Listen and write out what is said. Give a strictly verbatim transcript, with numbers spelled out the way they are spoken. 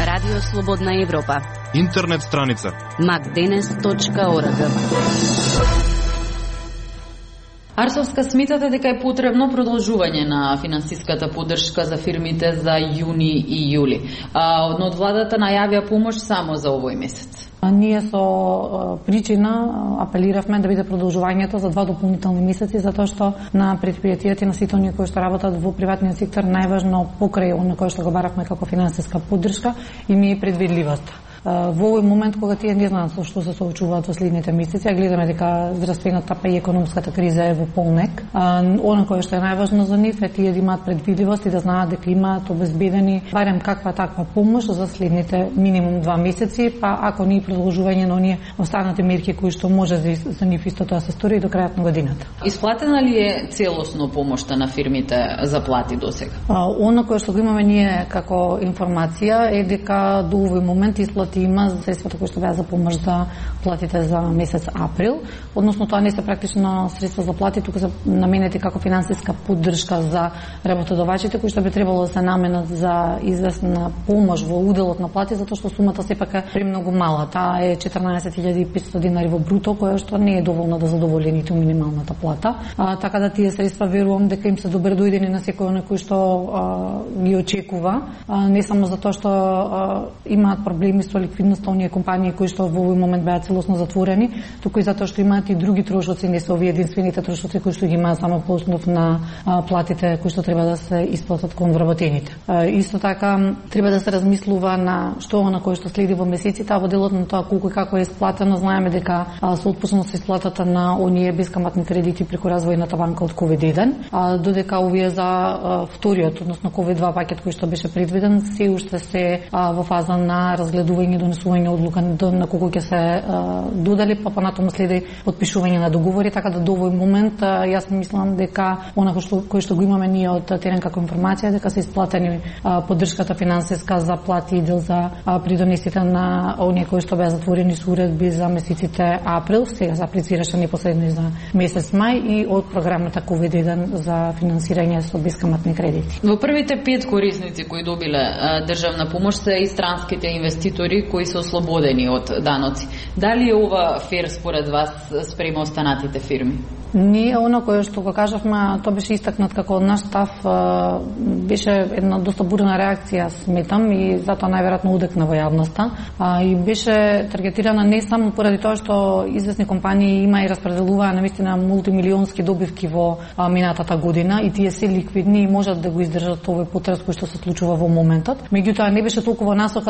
Радио Слободна Европа. Интернет страница макденес точка орг. Арсовска сметате дека е потребно продолжување на финансиската поддршка за фирмите за јуни и јули. А, од владата најавија помош само за овој месец. Ние со причина апелиравме да биде продолжувањето за два дополнителни месеци, затоа што на предпријатијата и на сите оние кои што работат во приватниот сектор најважно покрај оно кое што го баравме како финансиска поддршка и ми е предвидливост. Во овој момент кога тие не знаат со што се соочуваат во следните месеци, а гледаме дека здравствената па и економската криза е во полнек, оно кое што е најважно за нив е тие да имаат предвидливост и да знаат дека имаат обезбедени барем каква таква помош за следните минимум два месеци, па ако не и продолжување на оние останати мерки кои што може за нив исто тоа се стори и до крајот на годината. Исплатена ли е целосно помошта на фирмите за плати досега? Оно кое што го имаме ние како информација е дека до овој момент исплати има за средствата кои што беа за помош за платите за месец април, односно тоа не се практично средства за плати, туку се наменети како финансиска поддршка за работодавачите кои што би требало да се наменат за известна помош во уделот на плати, затоа што сумата сепак е премногу мала. Таа е четрнаесет илјади и петстотини динари во бруто, која што не е доволна да задоволи ниту минималната плата. А, така да тие средства верувам дека им се добредојдени на секој оној кој што а, ги очекува, а, не само затоа што а, имаат проблеми со ликвидноста оние компании кои што во овој момент беа целосно затворени, туку и затоа што имаат и други трошоци, не се овие единствените трошоци кои што ги имаат само по основ на а, платите кои што треба да се исплатат кон вработените. А, исто така треба да се размислува на што на кој што следи во месеците, а во делот на тоа колку и како е исплатено. Знаеме дека а, со отпуснато со исплатата на оние бескаматни кредити преку развојната банка од ковид еден, а, додека овие за а, вториот, односно ковид два пакет кој што беше предвиден, се уште се а, во фаза на разгледување и донесување одлука на колку ќе се а, додели, па понатаму следи потпишување на договори, така да до овој момент а, јас мислам дека она што кој што го имаме ние од терен како информација дека се исплатени а, поддршката финансиска за плати и дел за а, придонесите на оние кои што беа затворени со уредби за месеците април, сега се аплицираше непосредно и за месец мај и од програмата ковид еден за финансирање со бескаматни кредити. Во првите пет корисници кои добиле а, државна помош се и странските инвеститори кои се ослободени од даноци. Дали е ова фер според вас спрема останатите фирми? Ние, оно кое што го кажавме, тоа беше истакнат како од наш став, беше една доста бурна реакција, сметам, и затоа најверојатно удекна во јавноста. И беше таргетирана не само поради тоа што известни компании има и распределуваа навистина мултимилионски добивки во минатата година и тие се ликвидни и можат да го издржат овој потрес кој што се случува во моментот. Меѓутоа не беше толку во насока